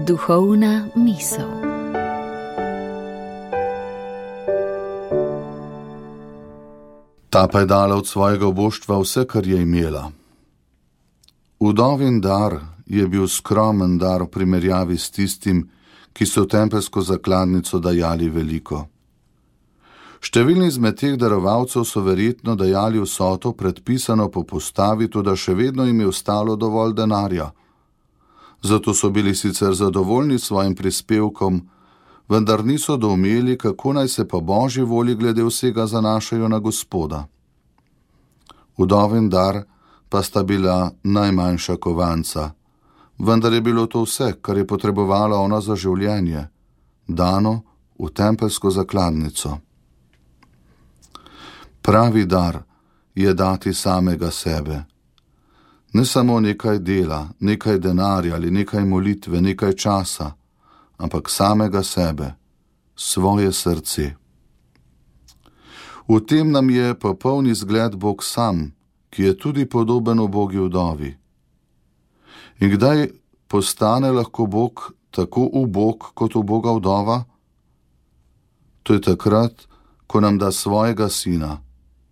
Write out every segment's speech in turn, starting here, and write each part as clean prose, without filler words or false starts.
Duhovna misel. Ta pa je dala od svojega oboštva vse, kar je imela. Vdovin dar je bil skromen dar v primerjavi s tistim, ki so v tempelsko zakladnico dajali veliko. Številni izmed teh darovalcev so verjetno dajali vsoto predpisano po postavi, toda še vedno jim je ostalo dovolj denarja. Zato so bili sicer zadovoljni s svojim prispevkom, vendar niso doumeli, kako naj se po Božji volji glede vsega zanašajo na Gospoda. Vdovin dar pa sta bila najmanjša kovanca, vendar je bilo to vse, kar je potrebovala ona za življenje, dano v tempelsko zakladnico. Pravi dar je dati samega sebe. Ne samo nekaj dela, nekaj denarja ali nekaj molitve, nekaj časa, ampak samega sebe, svoje srce. V tem nam je popoln izgled Bog sam, ki je tudi podoben ubogi vdovi. In kdaj postane lahko Bog tako ubog kot uboga vdova? To je takrat, ko nam da svojega sina,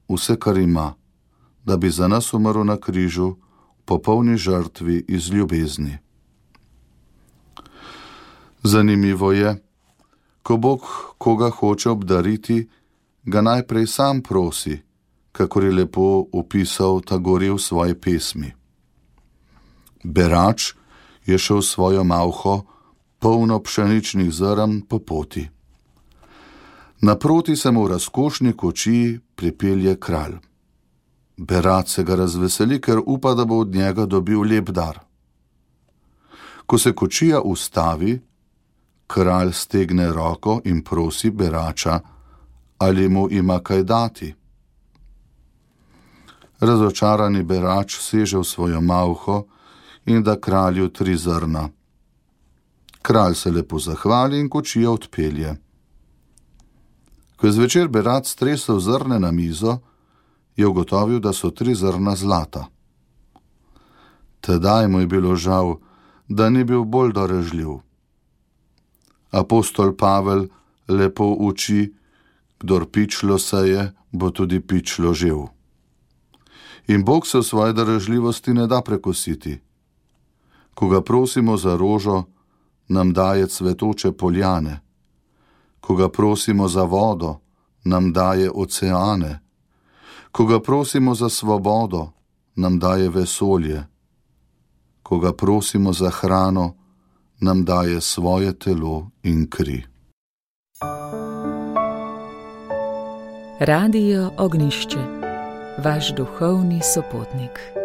vse, kar ima, da bi za nas umrl na križu v popolni žrtvi iz ljubezni. Zanimivo je, ko Bog koga hoče obdariti, ga najprej sam prosi, kakor je lepo opisal Tagore v svoji pesmi. Berač je šel svojo malho, polno pšeničnih zrn po poti. Naproti se mu v razkošni kočiji pripelje kralj. Berač se ga razveseli, ker upa, da bo od njega dobil lep dar. Ko se kočija ustavi, kralj stegne roko in prosi berača, ali mu ima kaj dati. Razočarani berač seže v svojo malho in da kralju 3 zrna. Kralj se lepo zahvali in kočija odpelje. Ko je zvečer berač stresel zrne na mizo, je ugotovil, da so 3 zrna zlata. Tedaj mu je bilo žal, da ni bil bolj darežljiv. Apostol Pavel lepo uči, kdor pičlo seje, bo tudi pičlo žel. In Bog se v svoji darežljivosti ne da prekositi. Ko ga prosimo za rožo, nam daje cvetoče poljane. Ko ga prosimo za vodo, nam daje oceane. Ko ga prosimo za svobodo, nam daje vesolje. Ko ga prosimo za hrano, nam daje svoje telo in kri. Radio Ognjišče, vaš duhovni sopotnik.